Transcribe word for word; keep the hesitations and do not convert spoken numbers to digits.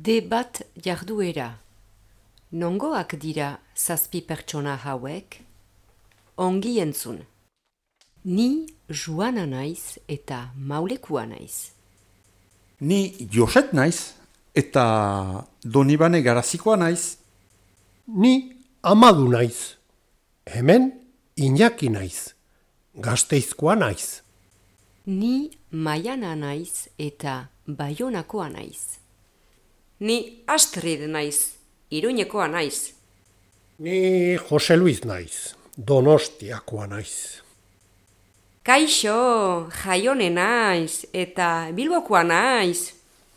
Debat jarduera. Nongoak dira zazpi pertsona hauek? Ongi entzun. Ni Joana naiz eta Maulekua naiz. Ni Joset naiz eta Donibane Garazikoa naiz. Ni Amadu naiz. Hemen Iñaki naiz. Gasteizkoa naiz. Ni Maiana naiz eta Baionakoa naiz. Ni Astrid naiz, Iruñekoa naiz. Ni Jose Luis naiz. Donostiakoa naiz. Kaixo, Jaione naiz eta Bilbokoa naiz.